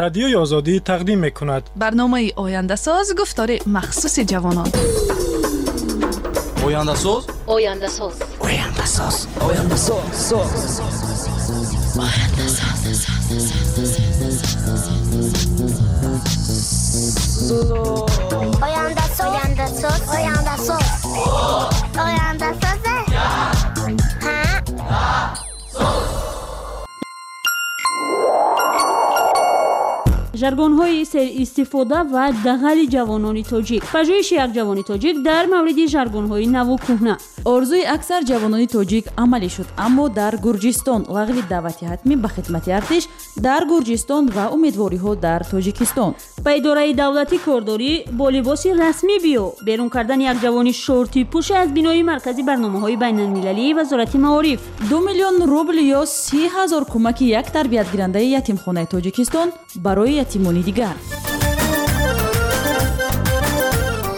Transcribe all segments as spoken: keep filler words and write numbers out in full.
Радиои Озодӣ тақдим мекунад барномаи Ояндасоз, гуфтори махсуси ҷавонон. Ояндасоз, Ояндасоз, Ояндасоз, Ояндасоз, Ояндасоз, Ояндасоз, Ояндасоз, Ояндасоз. Ҳа? Жаргонҳои серистифода ва дағали ҷавонони тоҷик. Пажӯҳиши як ҷавони тоҷик дар мавриди жаргонҳои наву кӯҳна. Орзуи аксар ҷавонони тоҷик амалӣ шуд, аммо дар Гурҷистон лағви даъвати ҳатмӣ ба хидмати артиш дар Гурҷистон ва умедвориҳо дар Тоҷикистон. Ба идораи давлатӣ кордорӣ бо либоси расмӣ биё. Берун кардани як ҷавони шортипӯши аз бинои маркази барномаҳои байналмилалии Вазорати маориф. Ду миллион рубл ё си ҳазор кӯмаки як тарбиятгирандаи ятимхонаи Тоҷикистон барои ятимони дигар.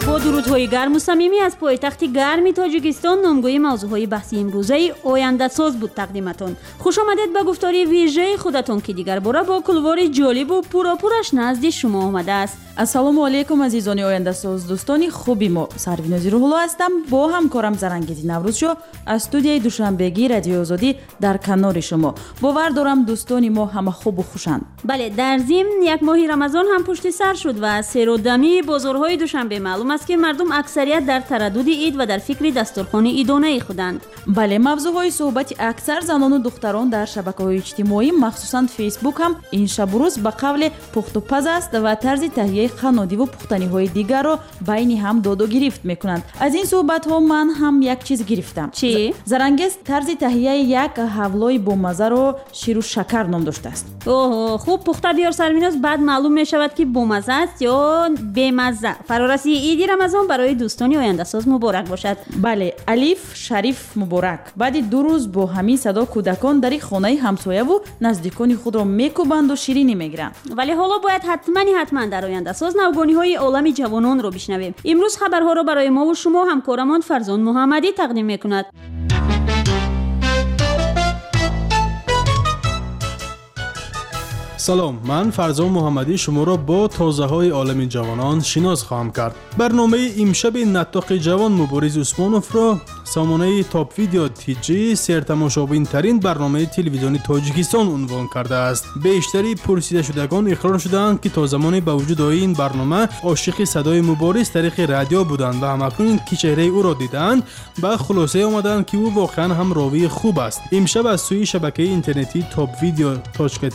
Бо дурудҳои гарму самимӣ аз пойтахти гарми Тоҷикистон номгӯи мавзӯъҳои баҳси имрӯзаи Ояндасоз буд тақдиматон. Хуш омадед ба гуфтори вижаи худатон, ки дигарбора бо кулвори ҷолибу пуропураш назди шумо омадааст. Ассалому алайкум, азизони Ояндасоз, дӯстони хуби мо. Сарвинози Рӯҳулло ҳастам бо ҳамкорам Зарангези Наврӯзшо аз студияи Душанбегии Радиои Озодӣ дар канори шумо. Бовар дорам, дӯстони мо ҳама хубу хушанд. Бале, дар зимн як моҳи Рамазон ҳам пушти сар шуд ва аз серодамии бозорҳои Душанбе маълум аст, ки мардум аксарият дар тараддуди ид ва дар фикри дастурхони идонаи худанд. Бале, мавзӯъҳои суҳбати аксар занону духтарон дар шабакаҳои иҷтимоӣ, махсусан Фейсбук ҳам ин шабу рӯз ба қавле пухтупаз аст ва тарзи таҳияи қаннодиву пухтаниҳои дигарро байни ҳам доду гирифт мекунанд. Аз ин суҳбатҳо ман ҳам як чиз гирифтам. Чӣ? Зарангез тарзи таҳияи як ҳавлои бомазаро ширу шакар ном доштааст. Оҳо, хуб пухта биёр, Сарвиноз, баъд маълум мешавад, ки бомаза аст ё бемазза. Фарорасии иди Рамазон барои дӯстони Ояндасоз муборак бошад. Бале, алиф шариф муборак. Баъди ду рӯз бо ҳамин садо кӯдакон дари хонаи ҳамсояву наздикони худро мекӯбанду ширинӣ мегиранд. Вале ҳоло бояд ҳатмани ҳатман дар Ояндасоз навгониҳои олами ҷавононро бишнавем. Имрӯз хабарҳоро барои мову шумо ҳамкорамон Фарзон Муҳаммадӣ тақдим мекунад. Салом, ман Фарзон Муҳаммадӣ шуморо бо тозаҳои олами ҷавонон шинос хоҳам кард. Барномаи имшаби Наттоқи ҷавон Мубориз Усмоновро сомонаи Топ Видео Тиҷи сертамошобинтарин барномаи телевизиони Тоҷикистон унвон кардааст. Бештари пурсидашудагон иқрор шудаанд, ки то замони ба вуҷуд оии ин барнома ошиқи садои Мубориз тариқи радио буданд ва ҳамакнун ки чеҳраи ӯро дидаанд, ба хулосае омаданд, ки ӯ воқеан ҳам ровии хуб аст. Имшаб аз сӯи шабакаи интернетии Топ Видео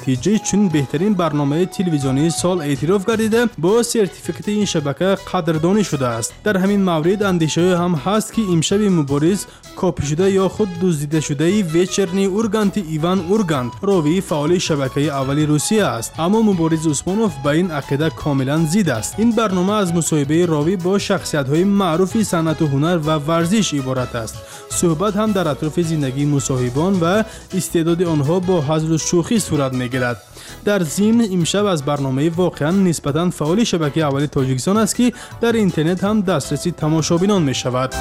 Тиҷи чунин беҳтарин барномаи телевизионии сол эътироф гардида, бо сертификати ин шабака қадрдонӣ шудааст. Дар ҳамин маврид андешаҳое ҳам ҳаст, ки имшаби Мубориз копишуда ё худ дуздидашудаи Вечерний Урганти Иван Ургант, ровии фаъоли шабакаи аввали Русия аст. Аммо Мубориз Усмонов ба ин ақида комилан зид аст. Ин барнома аз мусоҳибаи ровӣ бо шахсиятҳои маъруфи санъату ҳунар ва варзиш иборат аст. Суҳбат ҳам дар атрофи зиндагии мусоҳибон ва истеъдоди онҳо бо ҳазлу шӯхӣ сурат мегирад. Дар зимн имшаб аз барномаи воқеан нисбатан фаъоли шабакаи аввали Тоҷикистон аст, ки дар интернет ҳам дастраси тамошобинон мешавад.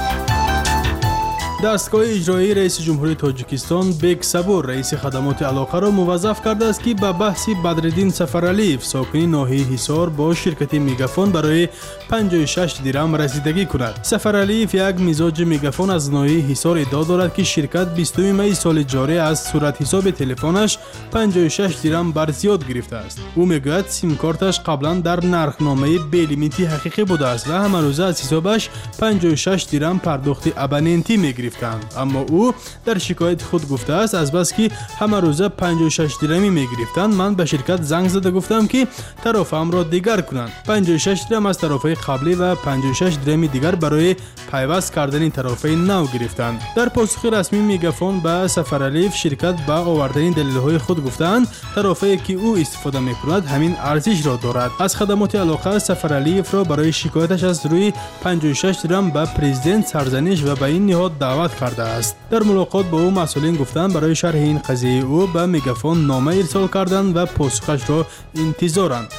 Дастгоҳи иҷроии раиси ҷумҳурии Тоҷикистон Бек Сабур раиси хадамоти алоқаро муваззаф кардааст, ки ба баҳси Бадриддин Сафаралиев, сокини ноҳияи Ҳисор, бо ширкати Мегафон барои панҷоҳу шаш дирам расидагӣ кунад. Сафаралиев як мизоҷи Мегафон аз ноҳияи Ҳисор иддао дорад, ки ширкат бистуми майи соли ҷорӣ аз суратҳисоби телефонаш панҷоҳу шаш дирам бар зиёд гирифтааст. Ӯ мегӯяд, симкорташ қаблан дар нархномаи белимити ҳақиқӣ будааст ва ҳамарӯза аз ҳисобаш панҷоҳу шаш дирам пардохти абонентӣ мегирифт. Аммо ӯ дар шикояти худ гуфтааст, азбаски ҳамарӯза панҷоҳу шаш дирамӣ мегирифтанд, ман ба ширкат занг зада гуфтам, ки тарофаамро дигар кунанд. панҷоҳу шаш дирам аз тарофаи қаблӣ ва панҷоҳу шаш дирами дигар барои пайваст кардани тарофаи нав гирифтанд. Дар посухи расмии Мегафон ба Сафаралиев ширкат ба овардани далелҳои худ гуфтаанд, тарофае ки ӯ истифода мекунад ҳамин арзишро дорад. Аз хадамоти алоқа Сафаралиевро барои шикояташ аз рӯи панҷоҳу шаш дирам ба президент сарзаниш ва ба ин ниҳод даъват кардааст. Дар мулоқот бо ӯ масъулин гуфтанд, барои шарҳи ин қазияи ӯ ба Мегафон нома ирсол карданд ва посухашро интизоранд.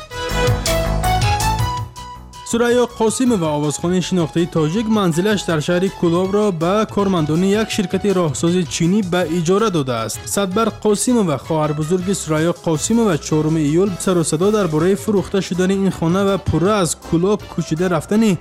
Сурайё Қосимова, овозхони шинохтаи тоҷик, манзилаш дар шаҳри Кӯлобро ба кормандони як ширкати роҳсози чинӣ ба иҷора додааст. Садбар Қосимова, хоҳарбузурги Сурайё Қосимова, чоруми июл сару садо дар бораи фурӯхта шудани ин хона ва пурра аз Кӯлоб кӯчида рафтани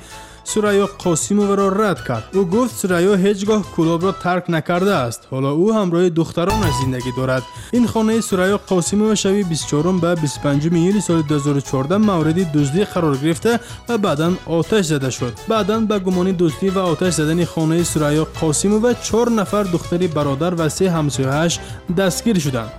Сурайё Қосимоваро рад кард. Ӯ гуфт, Сурайё ҳеҷ гоҳ Кӯлобро тарк накардааст. Ҳоло ӯ ҳамроҳи духтаронаш зиндагӣ дорад. Ин хонаи Сурайё Қосимова шаби бисту чорум ба бисту панҷуми июли соли ду ҳазору чордаҳ мавриди дуздӣ қарор гирифта ва баъдан оташ зада шуд. Баъдан ба гумони дуздӣ ва оташ задани хонаи Сурайё Қосимова чор нафар духтари бародар ва се ҳамсояаш дастгир шуданд.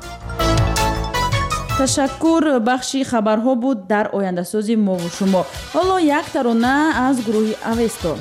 Ташаккур. Бахши хабарҳо буд дар ояндасози мову шумо. Ҳоло як тарона аз гурӯҳи Авесто.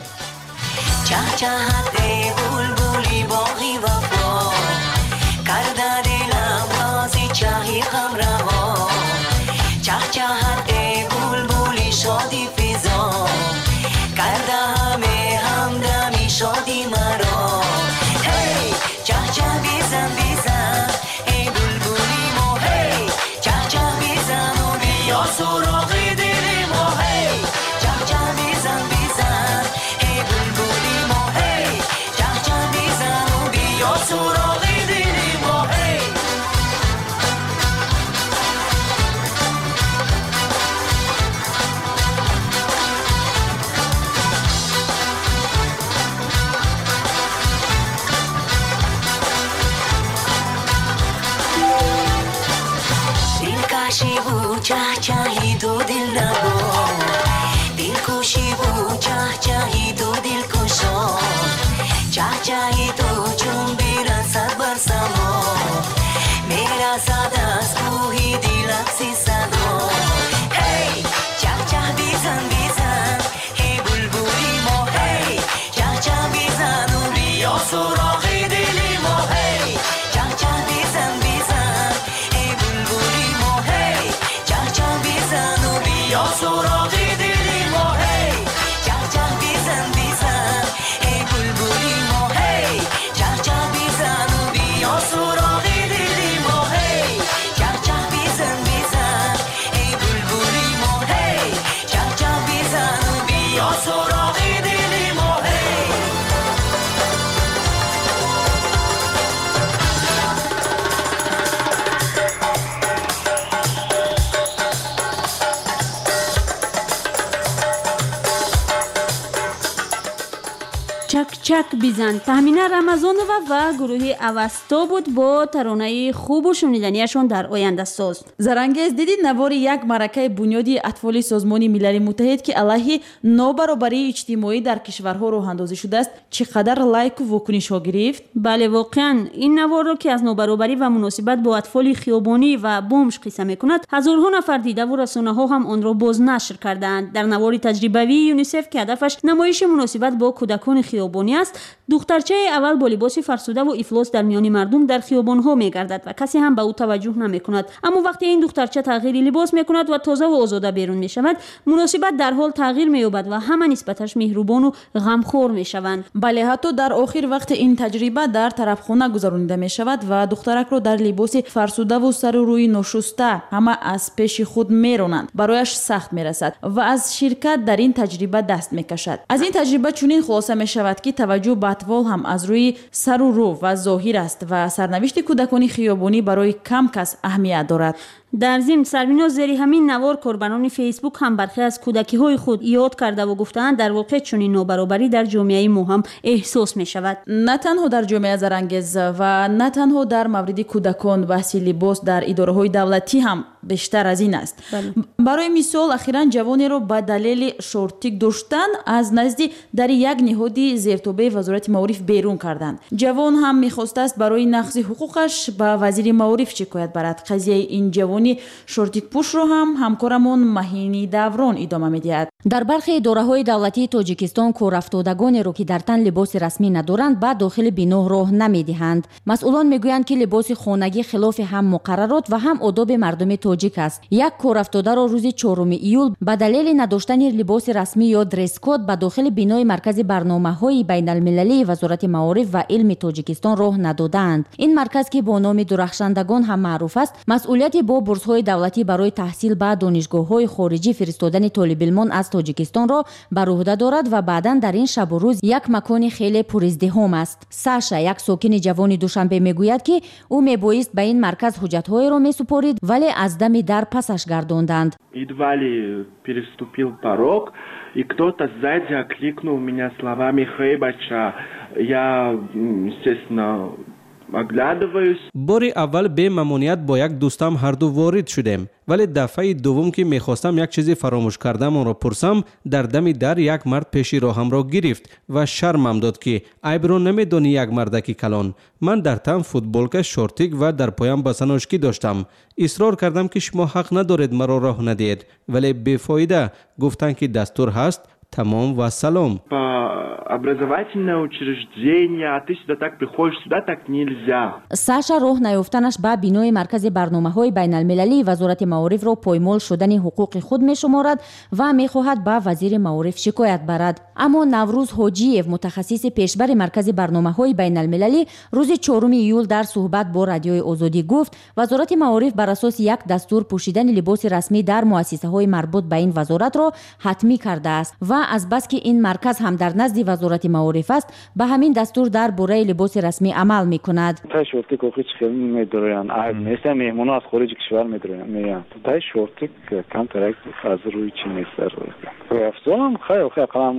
Чак бизан. Таҳмина Рамазонова ва гурӯҳи Авасто буд бо таронаи хубу шуниданияшон дар ояндасоз. Зарангез, диди навори як маъракаи бунёди атфоли Созмони Милали Муттаҳид, ки алайҳи нобаробарии иҷтимоӣ дар кишварҳо роҳандозӣ шудааст, чӣ қадар лайку вокунишҳо гирифт? Бале, воқеан ин наворро, ки аз нобаробарӣ ва муносибат бо атфоли хиёбонӣ ва бомж қисса мекунад, ҳазорҳо нафар дидаву расонаҳо ҳам онро бознашр кардаанд. Дар навори таҷрибавии ЮНИСЕФ, ки ҳадафаш намоиши муносибат бо кӯдакони хиёбонӣ аст, духтарчаи аввал бо либоси фарсудаву ифлос дар миёни мардум дар хиёбонҳо мегардад ва касе ҳам ба ӯ таваҷҷӯҳ намекунад. Аммо вақте ин духтарча тағйири либос мекунад ва тозаву озода берун мешавад, муносибат дар ҳол тағйир меёбад ва ҳама нисбаташ меҳрубону ғамхор мешаванд. Бале, ҳатто дар охир вақте ин таҷриба дар тарафхона гузаронида мешавад ва духтаракро дар либоси фарсудаву сару рӯи ношуста ҳама аз пеши худ меронанд, барояш сахт мерасад ва аз ширкат дар ин таҷриба даст мекашад. Аз ин таҷриба чунин хулоса мешавад, ки таваҷҷӯҳ ба атфол ҳам аз рӯи сару рӯ ва зоҳир аст ва сарнавишти кӯдакони хиёбонӣ барои кам кас аҳамият дорад. Дар зимн, Сарвиноз, зери ҳамин навор корбарони Фейсбук ҳам бархе аз кӯдакиҳои худ ёд кардаву гуфтаанд, дар воқеъ чунин нобаробарӣ дар ҷомеаи мо ҳам эҳсос мешавад. На танҳо дар ҷомеа, Зарангез, ва на танҳо дар мавриди кӯдакон, баҳси либос дар идораҳои давлатӣ ҳам бештар аз ин аст. Барои мисол, ахиран ҷавонеро ба далели шортик доштан аз назди дари як ниҳоди зертобеи Вазорати маориф берун карданд. Ҷавон ҳам мехостааст барои нақзи ҳуқуқаш ба вазири маориф шикоят барад. Қазияи ин ҷавони шортикпӯшро ҳам ҳамкорамон Маҳини Даврон идома медиҳад. Дар бархе идораҳои давлатии Тоҷикистон корафтодагонеро, ки дар тан либоси расмӣ надоранд, ба дохили бино роҳ намедиҳанд. Масъулон мегӯянд, ки либоси хонагӣ хилофи ҳам муқаррарот ва ҳам одоби мардуми тоҷик аст. Як корафтодаро рӯзи чоруми июл ба далели надоштани либоси расмӣ ё дресс-код ба дохили бинои маркази барномаҳои байналмилалии Вазорати маориф ва илми Тоҷикистон роҳ надодаанд. Ин марказ, ки бо номи дурахшандагон ҳам маъруф аст, масъулияти бо бурсҳои давлатӣ барои таҳсил ба донишгоҳҳои хориҷӣ фиристодани толибилмон аз Тоҷикистонро бар уҳда дорад ва баъдан дар ин шабу рӯз як макони хеле пуриздиҳом аст. Саша, як сокини ҷавони Душанбе, мегӯяд, ки ӯ мебоист ба ин марказ ҳуҷҷатҳоеро месупорид, вале аз дами дар пасаш гардонданд. Едва ли переступил порог, и кто-то сзади окликнул меня словами «Хей, бача». Я, естественно, оглядываюсь. Бори аввал бемамоният бо як дӯстам ҳарду ворид шудем, вале дафъаи дуввум, ки мехостам як чизи фаромӯш кардамонро пурсам, дар дами дар як мард пеши роҳамро гирифт ва шармам дод, ки айбро намедонӣ, як мардаки калон. Ман дар тан футболка, шортик ва дар поям босоножки доштам. Исрор кардам, ки шумо ҳақ надоред маро роҳ надиҳед, вале бефоида. Гуфтанд, ки дастур ҳаст, тамом ва салом. По образовательное учреждение, а ты сюда так приходишь, сюда так нельзя. Саша роҳ наёфтанаш ба бинои маркази барномаҳои байналмилалии вазорати маорифро поймол шудани ҳуқуқи худ мешуморад ва мехоҳад ба вазири маориф шикоят барад. Аммо Наврӯз Ҳоҷиев, мутахассиси пешбари маркази барномаҳои байналмилалӣ, рӯзи чоруми июл дар суҳбат бо Радиои Озодӣ гуфт, вазорати маориф бар асоси як дастур пӯшидани либоси расмӣ дар муассисаҳои марбут ба ин вазоратро ҳатмӣ кардааст ва азбаски ин марказ ҳам дар назди вазорати маориф аст, ба ҳамин дастур дар бораи либоси расмӣ амал мекунад. Тай шортик охи чӣ хел медороянд, айб нест, меҳмоно аз хориҷи кишвар медороянд, меянд. Тай шортик камтарак аз рӯи чӣ нест. Афзолам хай охи ақаллан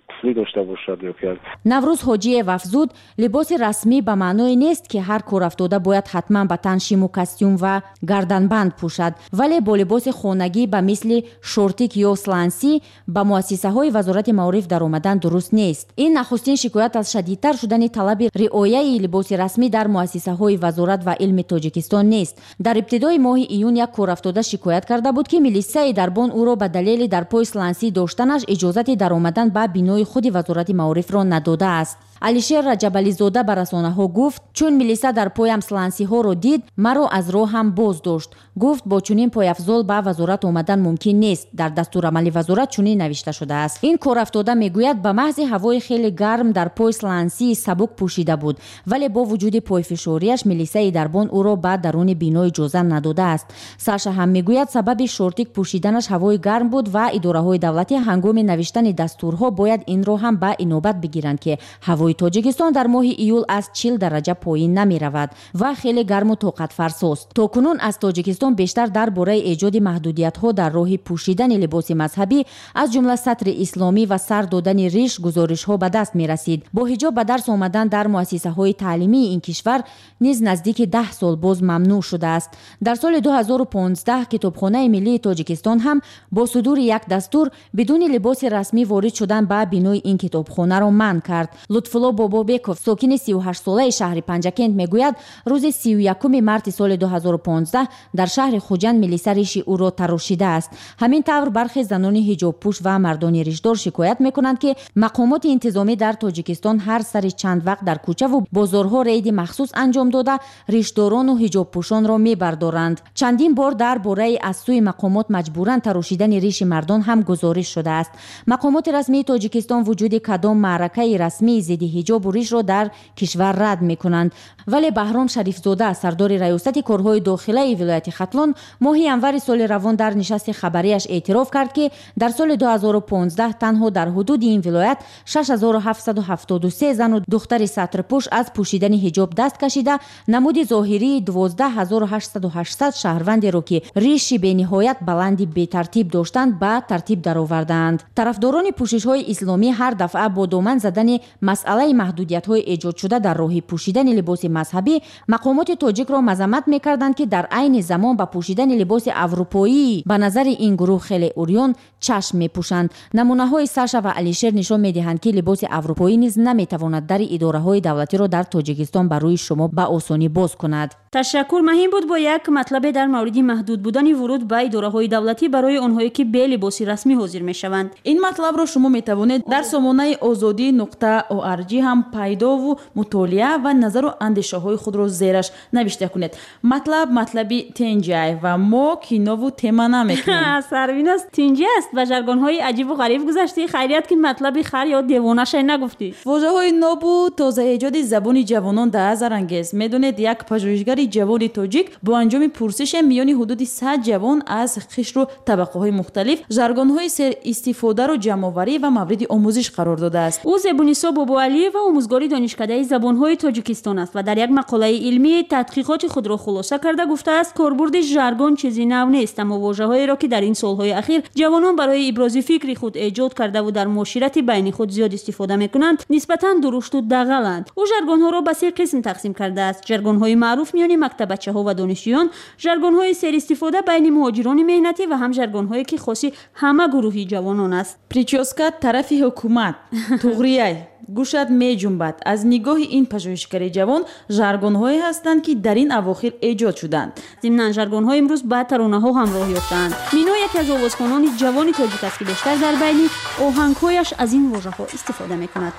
туфли дошта бошад ё ки. Наврӯз Ҳоҷиев афзуд, либоси расмӣ ба маъное нест, ки ҳар корафтода бояд ҳатман ба тан шиму костюм ва гарданбанд пӯшад, вале бо либоси хонагӣ ба мисли шортик ё слансӣ ба муассисаҳои вазорати маориф даромадан дуруст нест. Ин нахустин шикоят аз шадидтар шудани талаби риояи либоси расмӣ дар муассисаҳои вазорат ва илми Тоҷикистон нест. Дар ибтидои моҳи июн як корафтода шикоят карда буд, ки милисаи дарбон ӯро ба далели дар пой слансӣ доштанаш иҷозати даромадан ба бинои худи вазорати маорифро надодааст. Алишер Раҷабализода ба расонаҳо гуфт, чун милиса дар поям слансиҳоро дид, маро аз роҳам боз дошт. Гуфт, бо чунин пойафзол ба вазорат омадан мумкин нест. Дар дастурамали вазорат чунин навишта шудааст. Ин корафтода мегӯяд, ба маҳзи ҳавои хеле гарм дар пой слансии сабук пӯшида буд, вале бо вуҷуди пойфишориаш милисаи дарбон ӯро ба даруни бино иҷоза надодааст. Саша ҳам мегӯяд, сабаби шортик пӯшиданаш ҳавои гарм буд ва идораҳои давлатӣ ҳангоми навиштани дастурҳо бояд инро ҳам ба инобат бигиранд, ки ҳавои Тоҷикистон дар моҳи июл аз чил дараҷа поин намеравад ва хеле гарму тоқатфарсост. То кунун аз Тоҷикистон бештар дар бораи эҷоди маҳдудиятҳо дар роҳи пӯшидани либоси мазҳабӣ, аз ҷумла сатри исломӣ ва сар додани риш, гузоришҳо ба даст мерасид. Бо ҳиҷоб ба дарс омадан дар муассисаҳои таълимии ин кишвар низ наздики даҳ сол боз мамнӯъ шудааст. Дар соли ду ҳазору понздаҳ Китобхонаи миллии Тоҷикистон ҳам бо судури як дастур бидуни либоси расмӣ ворид шудан ба бинои ин китобхонаро манъ кард. Лутфулло Бобобеков, сокини сию ҳаштсолаи шаҳри Панҷакент, мегӯяд, рӯзи сию якуми марти соли ду ҳазору понздаҳ дар шаҳри Хуҷанд милиса риши ӯро тарошидааст. Ҳамин тавр бархе занони ҳиҷобпӯш ва мардони ришдор шикоят мекунанд, ки мақомоти интизомӣ дар Тоҷикистон ҳар сари чанд вақт дар кӯчаву бозорҳо рейди махсус анҷом дода, ришдорону ҳиҷобпӯшонро мебардоранд. Чандин бор дар бораи аз сӯи мақомот маҷбуран тарошидани риши мардон ҳам гузориш шудааст. Мақомоти расмии Тоҷикистон вуҷуди кадом маъракаи расмии зидди ҳиҷобу ришро дар кишвар рад мекунанд. Вале Баҳром Шарифзода, сардори раёсати корҳои дохилаи вилояти Хатлон, моҳи январи соли равон дар нишасти хабарияш эътироф кард, ки дар соли ду ҳазору понздаҳ танҳо дар ҳудуди ин вилоят шаш ҳазору ҳафтсаду ҳафтоду се зану духтари сатрпӯш аз пӯшидани ҳиҷоб даст кашида, намуди зоҳирии дувоздаҳ ҳазору ҳаштсаду ҳаштсад шаҳрвандеро, ки риши бениҳоят баланди бетартиб доштанд, ба тартиб даровардаанд. Тарафдорони пӯшишҳои исломӣ ҳар дафъа бо доман задани масъалаи маҳдудиятҳои эҷодшуда дар роҳи пӯшидани либоси мазҳабӣ мақомоти тоҷикро мазаммат мекарданд, ки дар айни замон ба пӯшидани либоси аврупоӣ ба назари ин гурӯҳ хеле урён чашм мепӯшанд. Намунаҳои Саша ва Алишер нишон медиҳанд, ки либоси аврупоӣ низ наметавонад дари идораҳои давлатиро дар Тоҷикистон ба рӯи шумо ба осонӣ боз кунад. Ташаккур. Маҳим буд бо як матлабе дар мавриди маҳдуд будани вуруд ба идораҳои давлатӣ барои онҳое, ки бе либоси расмӣ ҳозир мешаванд. Ин матлабро шумо метавонед дар сомонаи озодӣ нуқта орг ҳам пайдову мутолиа ва назару андешаҳои худро зераш навишта кунед. Матлаб матлаби тенҷай ва мо кинову тема намекунем. Сарвиназ, тинҷи аст, ба жаргонҳои аҷибу ғариб гузаштӣ. Хайрият, ки матлаби хар ё девонашай нагуфтӣ. Вожаҳои нобу тозаэҷоди забони ҷавонон дар азарангез. Медонед, як пажӯҳишгари пажӯҳишгари ҷавони тоҷик бо анҷоми пурсише миёни ҳудуди сад ҷавон аз қишру табақаҳои мухталиф жаргонҳои серистифодаро ҷамъоварӣ ва мавриди омӯзиш қарор додааст. Ӯ Зебунисо Бобоалиева омӯзгори донишкадаи забонҳои Тоҷикистон аст ва дар як мақолаи илмӣ тадқиқоти худро хулоса карда гуфтааст, корбурди жаргон чизи нав нест, аммо вожаҳоеро ки дар ин солҳои ахир ҷавонон барои ибрози фикри худ эҷод кардаву дар муоширати байни худ зиёд истифода мекунанд, нисбатан дурушту дағаланд. Ӯ жаргонҳоро ба се қисм тақсим кардааст: жаргонҳои маъруф миёни мактабачаҳо ва донишҷӯён, жаргонҳои серистифода байни муҳоҷирони меҳнатӣ ва ҳам жаргонҳое ки хоси ҳама гурӯҳи ҷавонон аст. Прическа тарафи ҳукумат, туғрияй, гӯшат меҷунбад. Аз нигоҳи ин пажӯҳишгари ҷавон жаргонҳое ҳастанд, ки дар ин авохир эҷод шуданд. Зимнан жаргонҳо имрӯз ба таронаҳо ҳамроҳ ёфтаанд. Мино яке аз овозхонони ҷавони тоҷик аст, ки бештар дар байни оҳангҳояш аз ин вожаҳо истифода мекунад.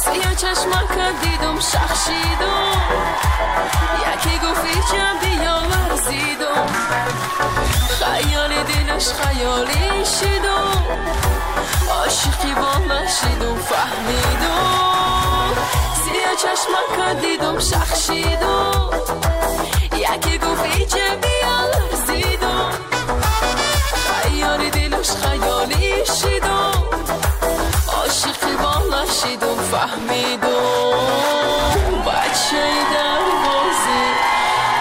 Сиё чашмака дидум, шах шидум, яке гуфт иҷа биё ларзидум, хаёли дилаш хаёлӣ шидум, ошиқи бола шидум, фаҳмидум. Сиё чашмака дидум, шах шидум, яке гуфт иҷа биё ларзидум, хаёли дилаш хаёлӣ шидум, ошиқи бола шидум, фаҳмидум. Бачаи дарвозӣ,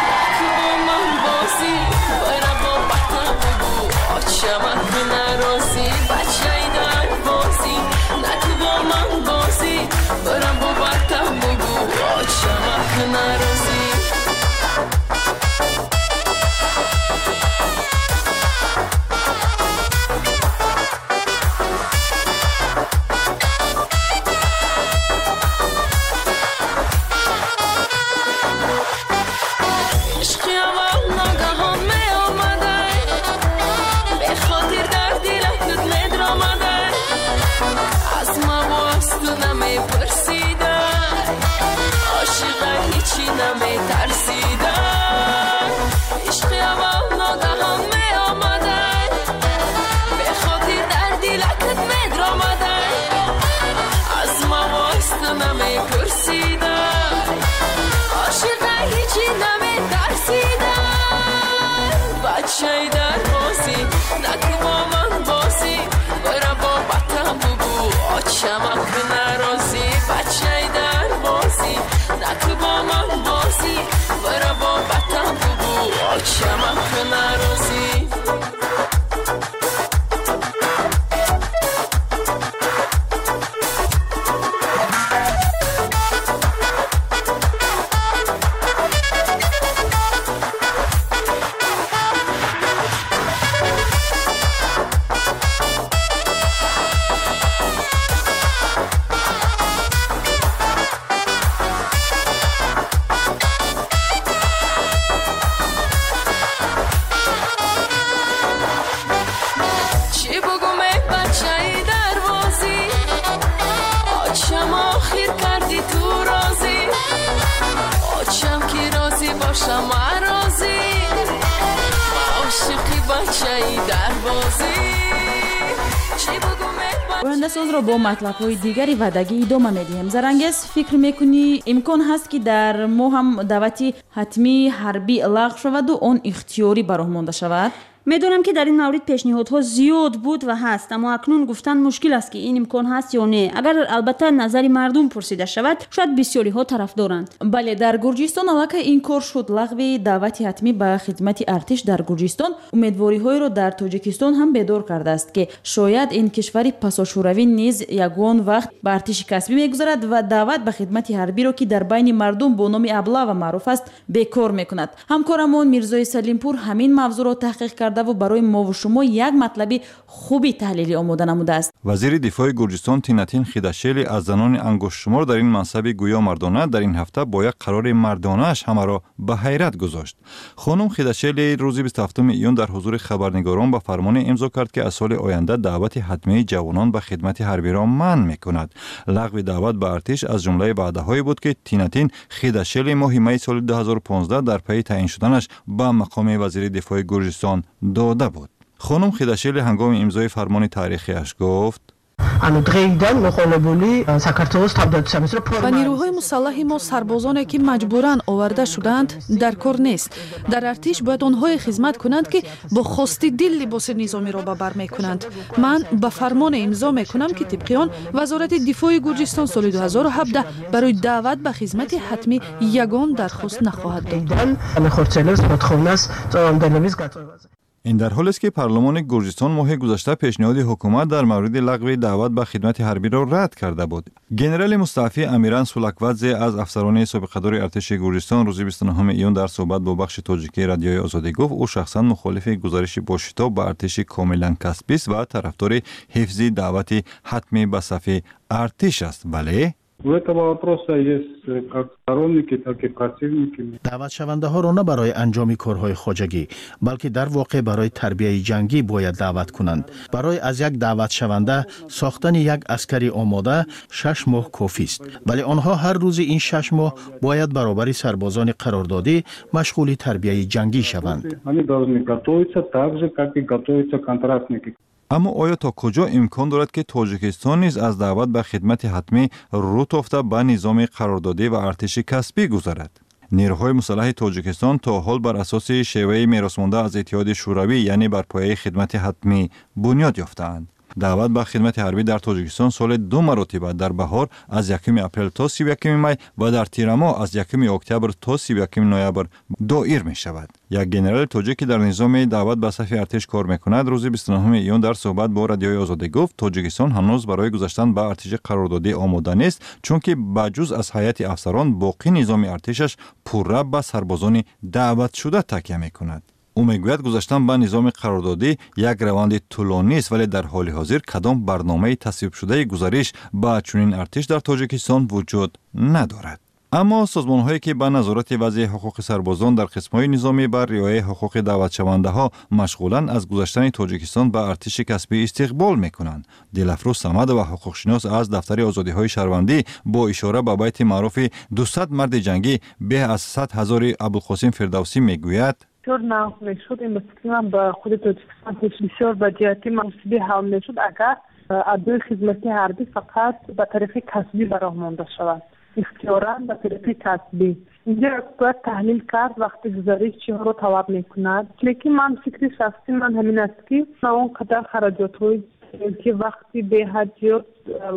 наку бо ман бозӣ, бара бо бата бугу, очамак нарозӣ. Бачаи дарвозӣ, наку бо ман бозӣ, бара бо бата бугу, очамак нарозӣ. Ояндасозро бо матлабҳои дигари ваъдагӣ идома медиҳем. Зарангез, фикр мекунӣ имкон ҳаст, ки дар мо ҳам даъвати ҳатмии ҳарбӣ лағв шаваду он ихтиёрӣ ба роҳ монда шавад? Медонам, ки дар ин маврид пешниҳодҳо зиёд буд ва ҳаст, аммо акнун гуфтан мушкил аст, ки ин имкон ҳаст ё не. Агар албатта назари мардум пурсида шавад, шояд бисёриҳо тарафдоранд. Бале, дар Гурҷистон аллакай ин кор шуд. Лағви даъвати ҳатмӣ ба хидмати артиш дар Гурҷистон умедвориҳоеро дар Тоҷикистон ҳам бедор кардааст, ки шояд ин кишвари пасошӯравӣ низ ягон вақт ба артиши касбӣ мегузарад ва даъват ба хидмати ҳарбиро, ки дар байни мардум бо номи аблава маъруф аст, бекор мекунад. Ҳамкорамон Мирзои Салимпур ҳамин мавзӯъро таҳқиқ кард ва барои мову шумо як матлаби хуби таҳлилӣ омода намудааст. Вазири дифои Гурҷистон Тинатин Хидашели аз занони ангуштшумор дар ин мансаби гӯё мардона дар ин ҳафта бо як қарори мардонааш ҳамаро ба ҳайрат гузошт. Хонум Хидашели рӯзи бисту ҳафтуми июн дар ҳузури хабарнигорон ба фармоне имзо кард, ки аз соли оянда даъвати ҳатмии ҷавонон ба хидмати ҳарбиро манъ мекунад. Лағви даъват ба артиш аз ҷумлаи ваъдаҳое буд, ки Тинатин Хидашели моҳи майи соли ду ҳазору понздаҳ дар пайи таъин шуданаш ба мақоми вазири дифои Гурҷистон дода буд. Хонум Хидашели ҳангоми имзои фармони таърихиаш гуфт: Ба нирӯҳои мусаллаҳи мо сарбозоне, ки маҷбуран оварда шудаанд, дар кор нест. Дар артиш бояд онҳое хизмат кунанд, ки бо хости дил либоси низомиро ба бар мекунанд. Ман ба фармоне имзо мекунам, ки тибқи он Вазорати дифои Гурҷистон соли ду ҳазору ҳабдаҳ барои даъват ба хизмати ҳатмӣ ягон дархост нахоҳад дод. Ин дар ҳолест, ки парлумони Гурҷистон моҳи гузашта пешниҳоди ҳукумат дар мавриди лағви даъват ба хидмати ҳарбиро рад карда буд. Генерали мустаъфӣ Амиран Сулаквадзе аз афсарони собиқадори артиши Гурҷистон рӯзи бисту нуҳуми июн дар суҳбат бо бахши тоҷикии Радиои Озодӣ гуфт, ӯ шахсан мухолифи гузариши бошитоб ба артиши комилан касбист ва тарафдори ҳифзи даъвати ҳатмӣ ба сафи артиш аст, вале У этого вопроса есть как сторонники, так и противники. Даъватшавандаҳоро на барои анҷоми корҳои хоҷагӣ, балки дар воқеъ барои тарбияи ҷангӣ бояд даъват кунанд. Барои аз як даъватшаванда сохтани як аскари омода шаш моҳ кофист, вале онҳо ҳар рӯзи ин шаш моҳ бояд баробари сарбозони қарордодӣ машғули тарбияи ҷангӣ шаванд. Они должны готовиться так же, как и готовятся контрактники. Аммо оё то куҷо имкон дорад, ки Тоҷикистон низ аз даъват ба хидмати ҳатмӣ рӯ тофта ба низоми қарордодӣ ва артиши касбӣ гузарад? Нерӯҳои мусаллаҳи Тоҷикистон то ҳол бар асоси шеваи меросмонда аз Иттиҳоди Шӯравӣ, яъне бар пояи хидмати ҳатмӣ бунёд ёфтаанд. Даъват ба хидмати ҳарбӣ дар Тоҷикистон соли ду маротиба дар баҳор аз якуми апрел то сию якуми май ва дар тирамоҳ аз якуми октябр то сию якуми ноябр доир мешавад. Як генерали тоҷик, ки дар низоми даъват ба сафи артиш кор мекунад, рӯзи бисту нуҳуми июн дар суҳбат бо Радиои Озодӣ гуфт, Тоҷикистон ҳанӯз барои гузаштан ба артиши қарордодӣ омода нест, чунки ба ҷуз аз ҳайати афсарон боқӣ низоми артишаш пурра ба сарбозони даъватшуда такя мекунад. Ӯ мегӯяд, гузаштан ба низоми қарордодӣ як раванди тӯлонист, вале дар ҳоли ҳозир кадом барномаи тасвибшудаи гузариш ба чунин артиш дар Тоҷикистон вуҷуд надорад. Аммо созмонҳое, ки ба назорати вазъи ҳуқуқи сарбозон дар қисмҳои низомӣ ба риояи ҳуқуқи даъватшавандаҳо машғуланд, аз гузаштани Тоҷикистон ба артиши касбӣ истиқбол мекунанд. Дилафрӯз Самадова, ҳуқуқшинос аз дафтари озодиҳои шаҳрвандӣ, бо ишора ба байти маъруфи дусад марди ҷангӣ беҳ аз сад ҳазори Абулқосим Фирдавсӣ мегӯяд: бисёр нағз мешуд, ин ба фикри ман ба худи Тоҷикистон бисёр ба ҷиҳати муносиби ҳал мешуд, агар адои хизмати ҳарбӣ фақат ба тариқи касбӣ ба роҳ монда шавад, ихтиёран ба тариқи касбӣ. Инҷо бояд таҳлил кард вақти гузариш чиҳоро талаб мекунад, лекин ман фикри шахсии ман ҳамин аст, ки на он қадар хараҷотҳои ки вақти беҳад зиёд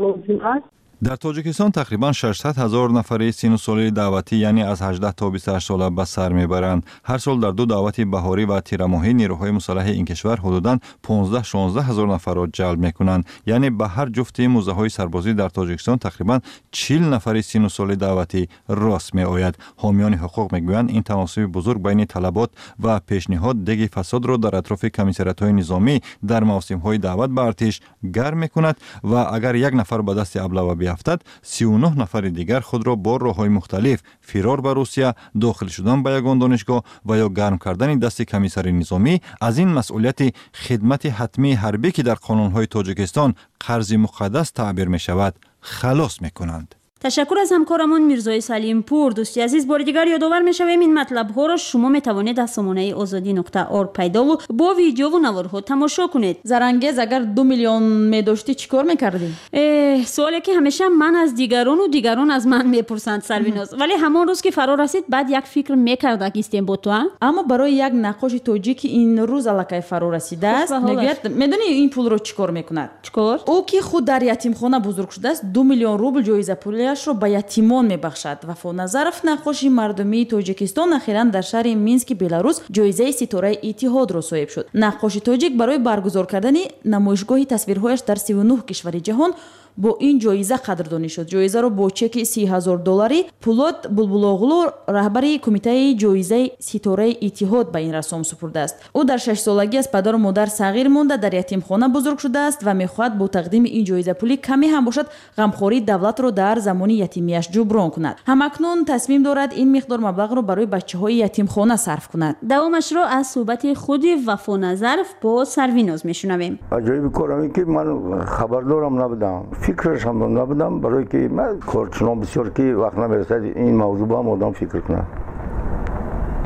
лозим аст. Дар Тоҷикистон тақрибан шашсад ҳазор нафари сину соли даъватӣ, яъне аз ҳаждаҳ то бисту ҳашт сола ба сар мебаранд. Ҳар сол дар ду даъвати баҳорӣ ва тирамоҳӣ нерӯҳои мусаллаҳи ин кишвар ҳудудан понздаҳ шонздаҳ ҳазор нафарро ҷалб мекунанд. Яъне ба ҳар ҷуфти муздаҳои сарбозӣ дар Тоҷикистон тақрибан чил нафари сину соли даъватӣ рост меояд. Ҳомиёни ҳуқуқ мегӯянд, ин таносуби бузург байни талабот ва пешниҳод деги фасодро дар атрофи комиссариятҳои низомӣ дар мавсимҳои даъват ба артиш гарм мекунад ва агар як нафар ба дасти аблава биафтад, сию нӯҳ нафари дигар худро бо роҳҳои мухталиф фирор ба Русия, дохил шудан ба ягон донишгоҳ ва ё гарм кардани дасти комиссари низомӣ аз ин масъулияти хидмати ҳатмии ҳарбӣ, ки дар қонунҳои Тоҷикистон қарзи муқаддас таъбир мешавад, халос мекунанд. Ташаккур аз ҳамкорамон Мирзои Салимпур. Дӯсти азиз, бори дигар ёдовар мешавем, ин матлабҳоро шумо метавонед аз сомонаи озодӣ нуқта орг пайдову бо видеову наворҳо тамошо кунед. Зарангез, агар ду миллион медоштӣ, чӣ кор мекардӣ? Э, суоле ки ҳамеша ман аз дигарону дигарон аз ман мепурсанд, Сарвиноз. Вале ҳамон рӯз ки фаро расид, баъд як фикр мекарда гистем бо ту, а? Аммо барои як наққоши тоҷик ин рӯз аллакай фаро расидааст. Мегӯяд, медонӣ ин пулро чӣ кор мекунад? Чӣ кор? Ӯ ки худ дар ятимхона бузург шудааст, ду миллион рубл ҷоизапулиаш ро ба ятимон мебахшад. Вафо Назаров, наққоши мардумии Тоҷикистон, ахиран дар шаҳри Мински Беларус ҷоизаи Ситораи Иттиҳодро соҳиб шуд. Наққоши тоҷик барои баргузор кардани намоишгоҳи тасвирҳояш дар сиву нӯҳ кишвари ҷаҳон бо ин ҷоиза қадрдонӣ шуд. Ҷоизаро бо чеки си ҳазор долларӣ Пулод Булбулоғлу, раҳбари кумитаи ҷоизаи Ситораи Иттиҳод, ба ин рассом супурдааст. Ӯ дар шашсолагӣ аз падару модар сағир монда, дар ятимхона бузург шудааст ва мехоҳад бо тақдими ин ҷоизапулӣ каме ҳам бошад ғамхории давлатро дар замони ятимияш ҷуброн кунад. Ҳамакнун тасмим дорад ин миқдор маблағро барои бачаҳои ятимхона сарф кунад. Давомашро аз суҳбати худи Вафо Назаров бо Сарвиноз мешунавем. Аҷоиби кор ҳамин ки ман хабардорам набудам, фикраш ҳам набудам, барое ки ман корчунон бисёр ки вақт намерасад ин мавзӯъ ба ҳам одам фикр кунад.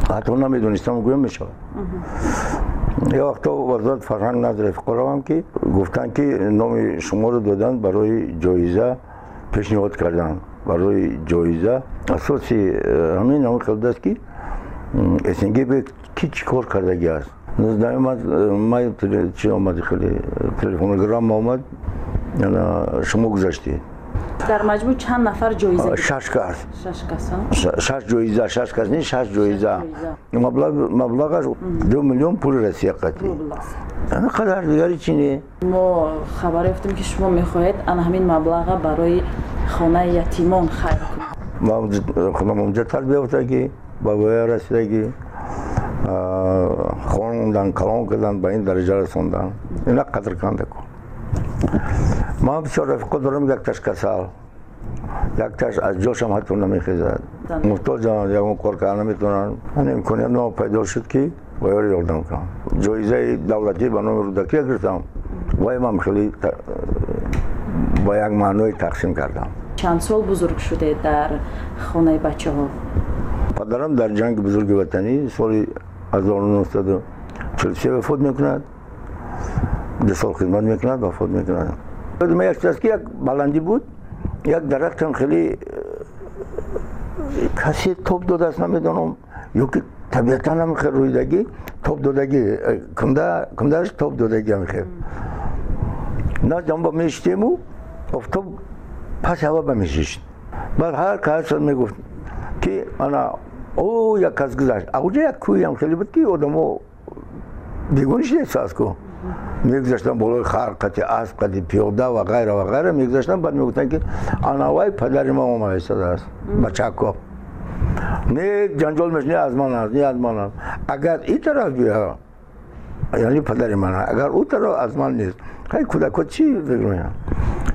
Ҳатто намедонистам гӯям мешавад. Як вақто вазорат фарҳанг назд рафиқо равам, ки гуфтанд, ки номи шуморо доданд барои ҷоиза, пешниҳод карданд барои ҷоиза. Асоси ҳамин ҳамин хел будааст, ки С Н Г ки чӣ кор кардагӣ аст. Нуздаҳуми май чи омад, хеле телефонограмма омад, шумо гузаштед. Дар маҷмӯъ чанд нафар ҷоиза? Шаш кас. Шаш кас. Шаш ҷоиза, шаш кас не, шаш ҷоиза. Маблағаш ду миллион пули Россия қатӣ, қадар, дигари чи не. Мо хабар ёфтем, ки шумо мехоҳед ана ҳамин маблаға барои хонаи ятимон хайр кунед. Худам онҷа тарбия ёфтагӣ, ба воя расидагӣ, хондан, калон кардан, ба ин дараҷа расондан, ина қадр канда кун. Ман бисёр рафиқо дорам, якташ касал, якташ аз ҷошам ҳатто намехезад, муҳтоҷанд, ягон кор карда наметавонанд. Ан имконият ма пайдо шуд, ки ба ёри ёрдам кунам. Ҷоизаи давлатӣ ба номи Рӯдакия гирифтам, вай ман хеле ба як маъное тақсим кардам. Чанд сол бузург шудед дар хонаи бачаҳо? Падарам дар ҷанги бузурги ватанӣ соли ҳазору нӯҳсаду чилу се вафот мекунад. Ду сол хидмат мекунад, вафот мекунад. Ма як чиз аст, ки як баландӣ буд, як дарахтам хеле э, касе тоб додааст, намедонам, ё ки табиатан ҳам хел рӯидагӣ, тоб додагӣ, э, кунда кундааш тоб додагӣ ҳам хел. Назди ҳам ба мешитему, офтоб пас ҳава ба мешишт. Баъд ҳар кас мегуфт, ки ана о як кас гузашт. Ауҷа як кӯҳиам хеле буд, ки одамо бегони шидааст ку, мегузаштан болои хар қати, асп қати, пиёда ва ғайра ва ғайра мегузаштан. Баъд мегуфтанд, ки анавай падари ма омада истодааст. Бачако не ҷанҷол меш, не аз ман аст, не аз ман аст. Агар ин тараф биё, яъне падари ман, агар ӯ тараф, аз ман нест. Хай, кӯдако чӣ фикр мекунанд?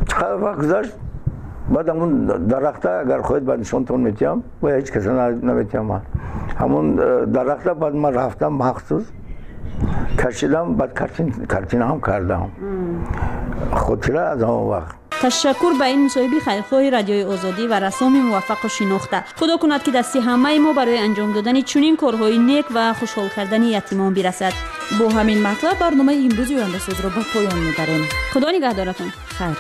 Чӣ қадар вақт гузашт, баъд ҳамун дарахта, агар хоҳед, баъд нишонтон метиҳам, ва ҳеҷ каса наметиҳам ман ҳамун э, дарахта. Баъд ман рафтам, махсус кашидам, баъд картина ҳам кардам, хотира аз ҳамон вақт. Ташаккур ба ин мусоҳиби хайрхоҳи Радиои Озодӣ ва рассоми муваффақу шинохта. Худо кунад, ки дасти ҳамаи мо барои анҷом додани чунин корҳои нек ва хушҳол кардани ятимон бирасад. Бо ҳамин матлаб барномаи имрӯзи Ояндасозро ба поён мебарем. Худо нигаҳдоратон. Хайр.